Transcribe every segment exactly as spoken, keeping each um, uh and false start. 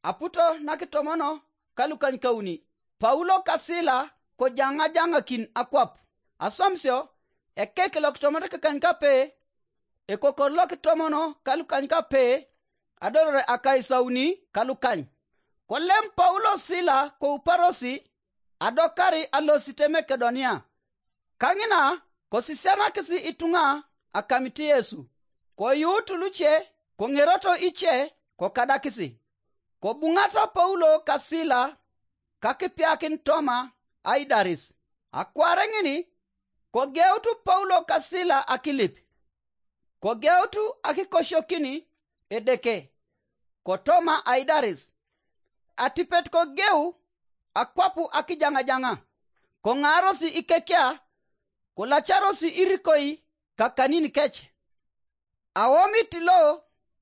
Aputo na kitomono ka lukanykauni, Paulo ka Sila kojaŋajaŋakin akwap. Aswamisio, ekek lo kitomonot kekany kape, ekokor lo kitomono ka lukany kape, adolore akaisauni ka lukany. Kolem Paulo Sila kouparosi, adokari alosit Makedonia. Kaŋina kosisianakis ituŋa akamit Yesu, koyuut luce koŋeroto ice kokadakisi. Kobuŋata Paulo ka Sila kakipiakin Toma aidaris. Akwaare ŋin, kogeut Paulo ka Sila akilip, kogeut akikosiokin Edeke, kotoma aidaris. Atipet kogeu akwap akijaŋajaŋa, koŋaaros ikekia, kolacaros irikoi kakanin kec. Awomit lo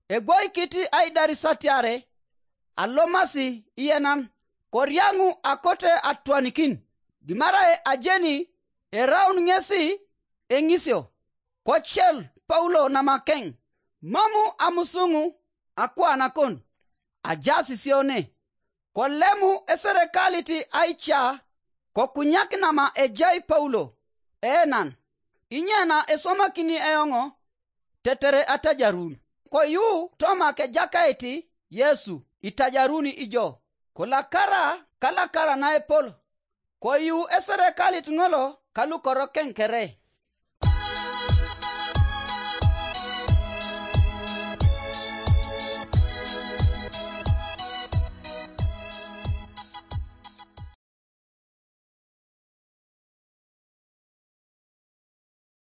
egwoikit aidaris atiare alomasi iyenan, koriaŋu akote atwanikin, dimarae ajeni eraun ŋesi eŋisio. Kocel Paulo namakeŋ, mamu amusuŋu akuanakon, ajaas sio ne. Kolemu eserekalit aica kokunyak nama ejai Paulo. Enan, inyena eswamakini eoŋo tetere atajarun? Koyu Toma kejakait Yesu, itajaruni ijo. Kolakara kalakara naepol, koyu eserekalit ŋolo kalukorokeŋ kere.